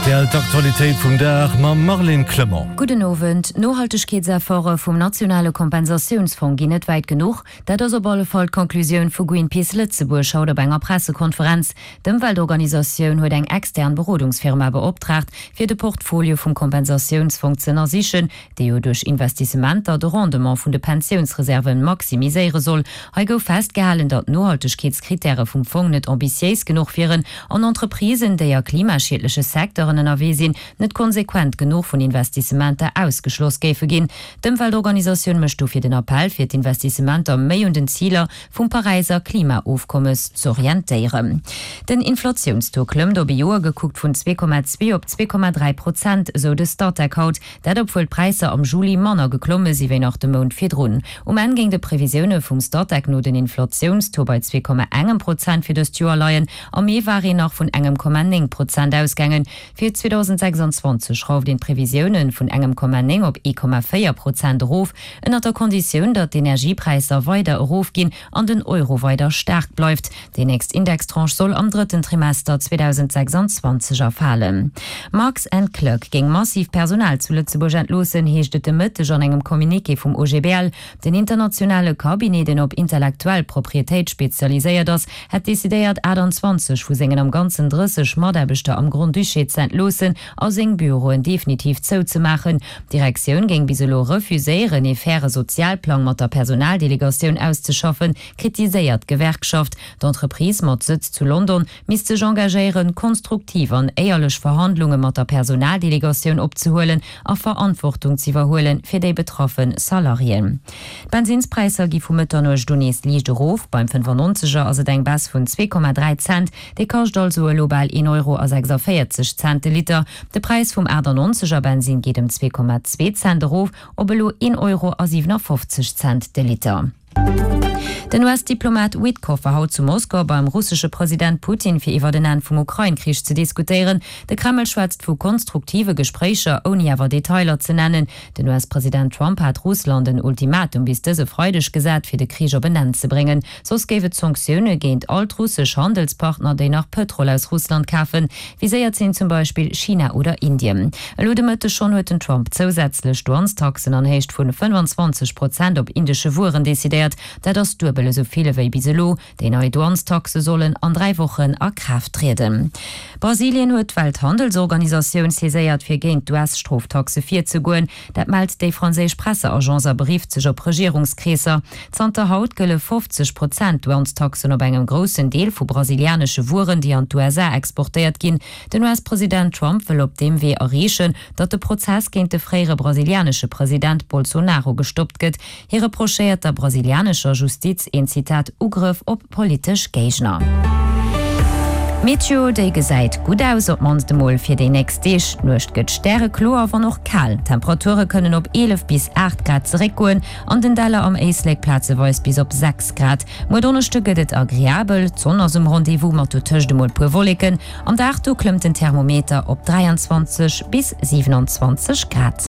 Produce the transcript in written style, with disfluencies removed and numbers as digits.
Rtl, D'Aktualitéit vum Dag mam Marlene Clement. Gudden Owend. D'Nohaltegkeetsefforte vum nationale Kompensatiounsfong ginn net wäit genuch. Dat ass op alle Fall d'Conclusioun vu Greenpeace Lëtzebuerg haut op enger Pressekonferenz. D'Ëmweltorganisatioun huet eng extern Berodungsfirma beoptraagt, fir de Portfolio vum Kompensatiounsfong ze ënnersichen, dee jo duerch Investissementer de Rendement vun de Pensiounsreserve maximiséiere soll. Hei gouf festgehalen, datt d'Nohaltegkeetskrittäre vum Fong net ambitiéis genuch wieren an Entreprisen, déi a klimaschiedleche Secteuren ënnerwee sinn, net konsequent genuch vun Investissementer ausgeschloss géife ginn. D'Ëmweltorganisatioun mécht dofir den Appell, fir d'Investissementer méi un den Ziler vum Paräiser Klimaofkommes z'orientéieren. Den Inflatiounstaux klëmmt op ee Joer gekuckt vun 2,2 op 2,3 Prozent, esou de Statec haut. Dat obwuel d'Präisser am Juli manner geklomme si wéi nach de Mount virdrun. Um Enn géing de Previsioune vum Statec no den Inflatiounstaux bei 2,engem Prozent fir dëst Joer leien. Am Mee war een nach vun engem Komma 9 Prozent ausgaangen. Fir 2026 schrauft een d'Previsioune vun engem Komma 9 op 1,4 Prozent erof, ënnert der Konditioun, datt d'Energiepräisser weider erofginn an den Euro weider staark bleift. Déi nächst Indextranche soll am drëtten Trimester 2026 erfalen. Marx and Clerk géing massiv Personal zu Lëtzebuerg entloossen, heescht et de Mëtteg an engem Communiqué vum OGBL. Den internationale Cabinet, deen op intellektuell Proprietéit spezialiséiert ass, hätt decidéiert, 28 vu sengen am Ganzen 30 Mataarbechter am Grand-Duché ze entloossen a seng Büroen definitiv zouzemaachen. D'Direktioun géing bis elo refuséieren, ee faire Sozialplang mat der Personaldelegatioun auszeschaffen, kritiséiert d'Gewerkschaft. D'Entreprise mat Sëtz zu London misst sech engagéieren, konstruktiv an éierlech Verhandlunge mat der Personaldelegatioun opzehuelen a Verantwortung z'iwwerhuele fir déi betraffe Salariéen. D'Bensinnspräisser gi vu Mëtternuecht un nees liicht erof. Beim 95er ass et eng Baisse vun 2,3 Cent, dee kascht also elo bal een Euro a 46 Cent de Liter. De Präis vum 98er Bensinn geet ëm 2,2 Cent erof op elo een Euro a 57 Cent de Liter. Den US-Diplomat Witkoff war haut zu Moskau beim russesche President Putin fir iwwert en Enn vum Ukrain-Krich ze diskutéieren. De Kreml schwätzt vu konstruktive Gespréicher, ouni awer Detailer ze nennen. Den US-President Trump hat Russland en Ultimatum bis dëse Freideg gesat, fir de Krich op en Enn ze bréngen. Soss géif et Sanktioune géint all d'russesch Handelspartner, déi nach Pëtrol aus Russland kafen. Viséiert sinn zum Beispill China oder Indien. Elo de Mëtteg schonn huet den Trump zousätzlech Douanestaxen an Héicht vun 25 Prozent op indesche Wueren decidéiert. Dat ass duebel esou vill ewéi bis elo. Déi nei Douanestaxe sollen an 3 Wochen a Kraaft trieden. Brasilien huet d'Welthandelsorganisatioun saiséiert, fir géint d'US-Stroftaxe virzegoen. Dat mellt déi franséisch Presseagence a berifft sech op Regierungskreesser. Zanter haut gëlle 50 Prozent Douanestaxen op engem groussen Deel vu brasilianesche Wueren, déi an d'USA exportéiert ginn. Den US-President Trump wëll op deem Wee erreechen, datt de Prozess géint de fréiere brasilianesche President Bolsonaro gestoppt gëtt. Hie reprochéiert der brasilianescher Justiz een, Zitat, Ugrëff op politesch Géigner. D'Meteo, déi gesäit gutt aus, op d'mannst emol fir déi nächst Deeg. D'Nuecht gëtt stärekloer, wann och kal. D'Temperature kënnen op 11 bis 8 Grad zeréckgoen, an den Däller am Éislek plazeweis bis op 6 Grad. Muer Donneschde gëtt et agreabel, d'Sonn ass um Rendez-vous, mat dotëscht emol puer Wolleken. Am Dag do klëmmt den Thermometer op 23 bis 27 Grad.